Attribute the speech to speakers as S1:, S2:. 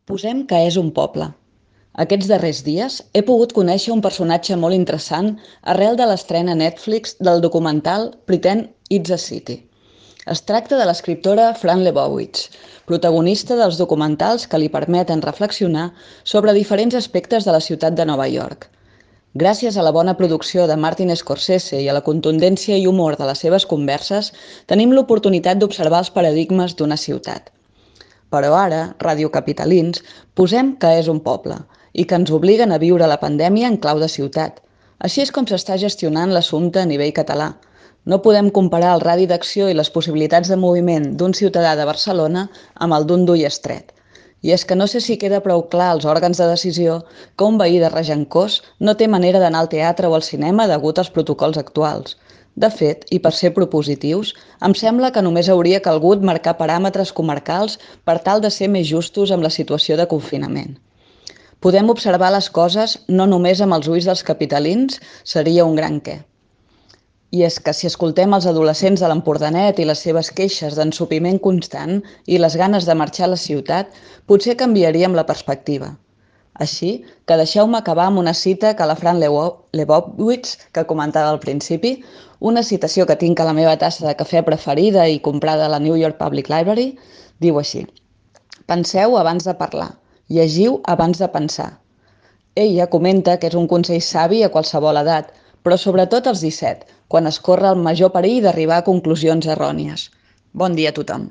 S1: Posem que és un poble. Aquests darrers dies he pogut conèixer un personatge molt interessant arrel de l'estrena a Netflix del documental Pretend It's a City. Es tracta de l'escriptora Fran Lebowitz, protagonista dels documentals que li permeten reflexionar sobre diferents aspectes de la ciutat de Nova York. Gràcies a la bona producció de Martin Scorsese i a la contundència i humor de les seves converses, tenim l'oportunitat d'observar els paradigmes d'una ciutat. Però ara, radiocapitalins, posem que és un poble i que ens obliguen a viure la pandèmia en clau de ciutat. Així és com s'està gestionant l'assumpte a nivell català. No podem comparar el radi d'acció i les possibilitats de moviment d'un ciutadà de Barcelona amb el d'un d'Ullastret. I és que no sé si queda prou clar als òrgans de decisió que un veí de Regencós no té manera d'anar al teatre o al cinema degut als protocols actuals. De fet, i per ser propositius, em sembla que només hauria calgut marcar paràmetres comarcals per tal de ser més justos amb la situació de confinament. Podem observar les coses no només amb els ulls dels capitalins, seria un gran què. I és que si escoltem els adolescents de l'Empordanet i les seves queixes d'ensopiment constant i les ganes de marxar a la ciutat, potser canviaríem la perspectiva. Així que deixeu-me acabar amb una cita que la Fran Lebowitz, que comentava al principi, una citació que tinc a la meva tassa de cafè preferida i comprada a la New York Public Library, diu així: penseu abans de parlar, llegiu abans de pensar. Ella comenta que és un consell savi a qualsevol edat, però sobretot als 17, quan es corre el major perill d'arribar a conclusions errònies. Bon dia a tothom.